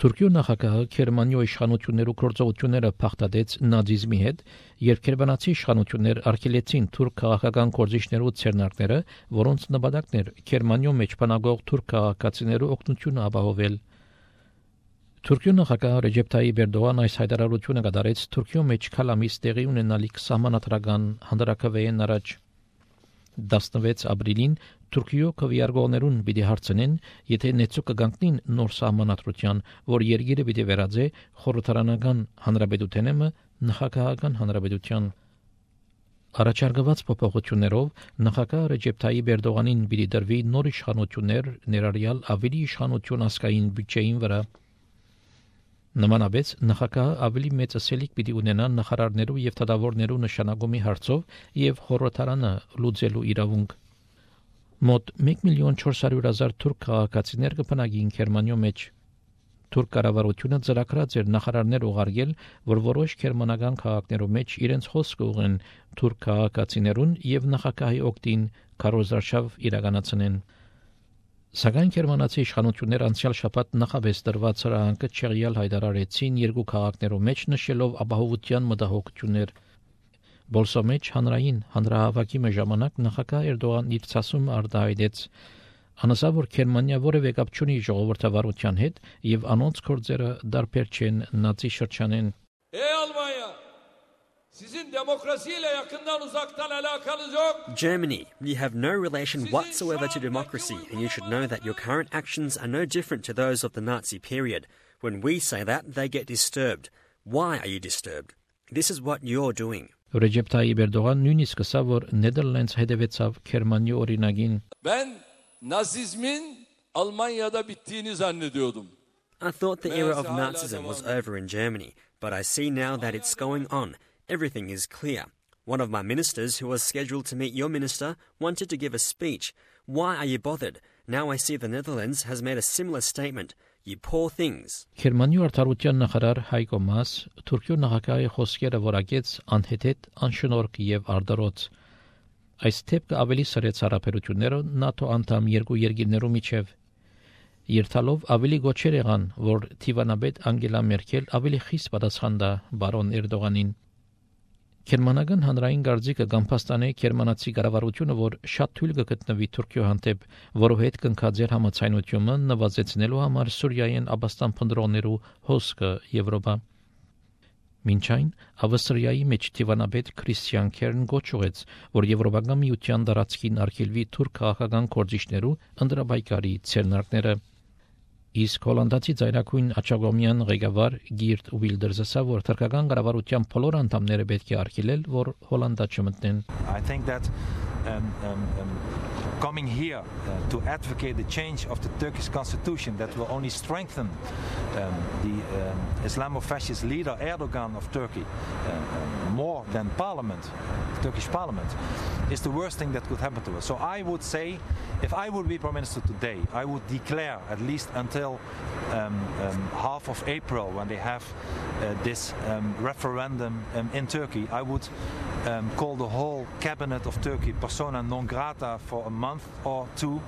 Թուրքիո նախագահը Գերմանիո իշխանություններու գործողությունները փախտadեց նազիզմի հետ, երբ գերմանացի իշխանություններ արգելեցին թուրք քաղաքական գործիչներու ցերնակները, որոնց նպատակն էր Գերմանիո մեջ բնակող թուրք քաղաքացիներու օգնությունը ապահովել։ Թուրքիո նախագահ Ռեջեփ Թայիփ Էրդողան այս հայտարարությունը կատարեց Թուրքիո մեջ քալամիս տեղի ունենալիք սահմանադրական հանրակրվեին առաջ 16 ապրիլին Թուրքիո քվեարկողներուն պիտի հարցնեն, եթե նեցու կգանքնին նոր սահմանադրության, որ երկիրը պիտի վերածե խորհրդարանական հանրապետութենը նախագահական հանրապետության։ Առաջարկված փոփոխություններով նախագահ Ռեջեփ Թայիփ Էրդողանին պիտի դրվի նոր իշխանություններ, ներառյալ ավելի իշխանություն ասկային բյուջեին վրա։ Նմանապես նախագահը ավելի մեծ ասելիք պիտի ունենա նախարարներու եւ թագավորներու նշանակումի հարցով եւ խորհրդարանը լուծելու իրավունք։ Մոտ 1,400,000 թուրք քաղաքացիներ կբնակին Գերմանիո մեջ։ Թուրք կառավարությունը ծրագրած էր նախարարներ ուղարկել, որ որոշ գերմանական քաղաքներու մեջ իրենց խոսքը ուղեն թուրք քաղաքացիներուն եւ նախագահի օգտին քարոզարշավ իրականացնեն։ Սակայն գերմանացի իշխանությունները անցյալ շաբաթ նախաբես դրված հրահանգը չեղյալ հայտարարեցին երկու քաղաքներու մեջ նշելով ապահովության մտահոգություններ։ Բոլսո մեջ հանրային հանրահավաքի ժամանակ նախագահ Էրդողան իր ցասում արտահայտեց անասա որ Գերմանիա որևէ կապ չունի ժողովրդավարության հետ եւ անոնց գործերը դարբեր չեն նացի շրջանեն։ Germany, you have no relation whatsoever to democracy, and you should know that your current actions are no different to those of the Nazi period. When we say that, they get disturbed. Why are you disturbed? This is what you're doing. Ռեջեփ Թայիփ Էրդողան նույնիսկ ասավ, որ Նեդերլանդս հետևեցավ Գերմանիա օրինագին։ Ben Nazizmin Almanya'da bittiğini zannediyordum. I thought the era of Nazism was over in Germany, but I see now that it's going on. Everything is clear. One of my ministers who was scheduled to meet your minister wanted to give a speech. Why are you bothered? Now I see the Netherlands has made a similar statement. You poor things. Գերմանիո արտարության նախարար Հայկո Մաս Թուրքիո նախագահի խոսքերը որակեց անհեթեթ, անշնորհք եւ արդարոց։ Այս թեփքը ավելի սրեց հարաբերությունները ՆԱՏՕ անդամ երկու երկիրներու միջև։ Երթալով ավելի գոչեր եղան, որ Թիվանաբեդ Անգելա Մերկել ավելի խիստ պատասխան տա բարոն Էրդողանին։ Գերմանական հանրային գարձիկը գամփաստանե գերմանացի կառավարությունը, որ շատ թույլ կգտնվի Թուրքիո հանդեպ, որովհետև կնքած էր համաձայնությունը նվազեցնելու համար Սուրիայեն Աբաստան փնդրողներու հոսքը Եվրոպա։ Մինչ այն Ավստրիայի մեջ Թիվանաբեդ Քրիստիան Քերն գոչուեց, որ Եվրոպական միության դարածքին արգելվի թուրք քաղաքական գործիչներու ընդրաբայկարի ցերնակները։ Իսկ հոլանդացի ծայրակույն Աչագոմյան ղեկավար Գիրտ Ուիլդերսը ասավ, որ թուրքական կառավարության բոլոր անդամները պետք է արգելել, որ Հոլանդա չմտնեն։ I think that coming here to advocate the change of the Turkish constitution that will only strengthen the Islamofascist leader Erdogan of Turkey more than parliament, Turkish parliament, is the worst thing that could happen to us. So I would say, if I would be Prime Minister today, I would declare at least until half of April when they have this referendum in Turkey, I would call the whole cabinet of Turkey persona non grata for a month or two.